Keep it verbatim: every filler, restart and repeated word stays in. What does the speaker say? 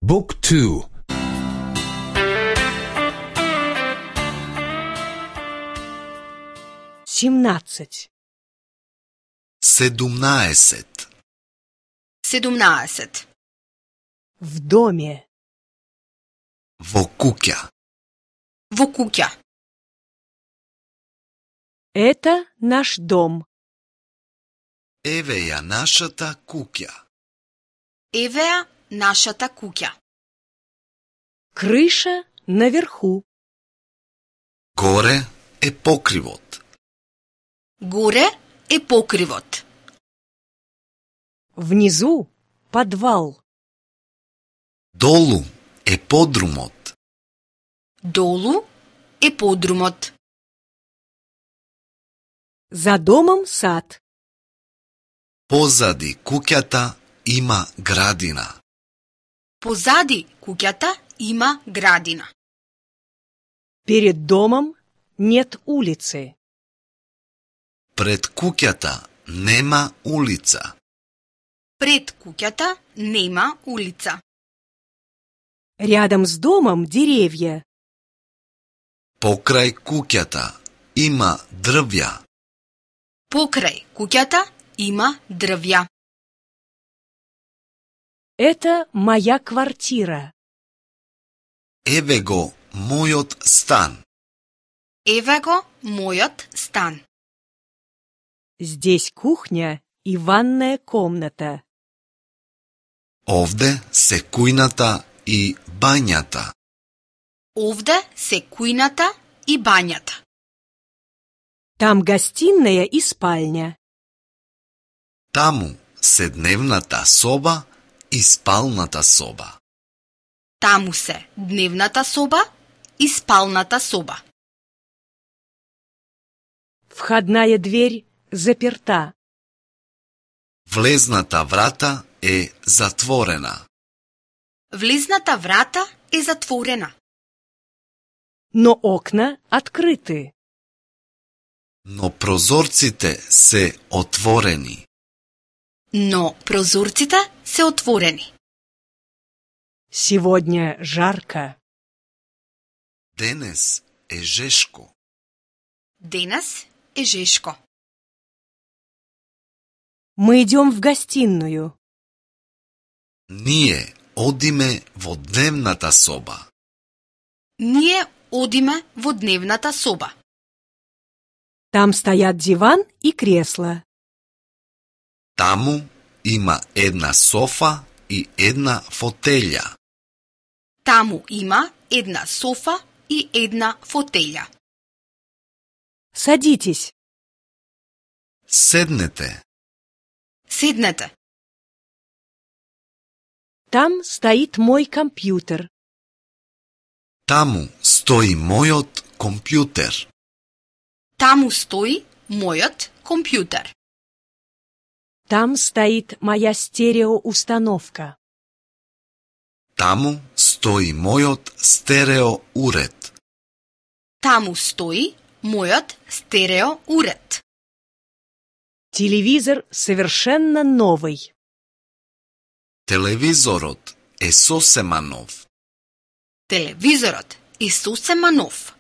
Book two. семнадцать. седумнаесет. седумнаесет. В доме. Во куќа. Во куќа. Это наш дом. Еве ја нашата куќа. Еве ја нашата куќа. Крыша наверху. Горе е покривот. Горе е покривот. Внизу подвал. Долу е подрумот. Долу е подрумот. За домом сад. Позади куќата има градина. Позади куќата има градина. Перед домом нет улицы. Пред куќата нема улица. Пред куќата нема улица. Рядом с домом деревья. Покрај куќата има дрвја. Покрај куќата има дрвја. Это моя квартира. Еве го мојот стан. Еве го мојот стан. Здесь кухня и ванная комната. Овде се кујната и бањата. Овде се кујната и бањата. Там гостиная и спальня. Таму се дневната соба и спалната соба. Таму се дневната соба и спалната соба. Входная дверь заперта. Влезната врата е затворена. Влезната врата е затворена. Но окна открыты. Но прозорците се отворени. Но прозорците се отворени. Сегодня жарко. Денес е жешко. Денес е жешко. Мы идем в гостиную. Ние одиме во дневната соба. Ние одиме во дневната соба. Там стоят диван и кресло. Таму има една софа и една фотелја. Таму има една софа и една фотелја. Садитесь. Седнете. Седнете. Там стоит мой компьютер. Таму стои мојот компјутер. Таму стои мојот компјутер. Там стоит моя стереоустановка. Таму стои мојот стерео уред. Таму стои мојот стерео уред. Телевизор совершенно новый. Телевизорот е сосема нов. Телевизорот е сосема нов.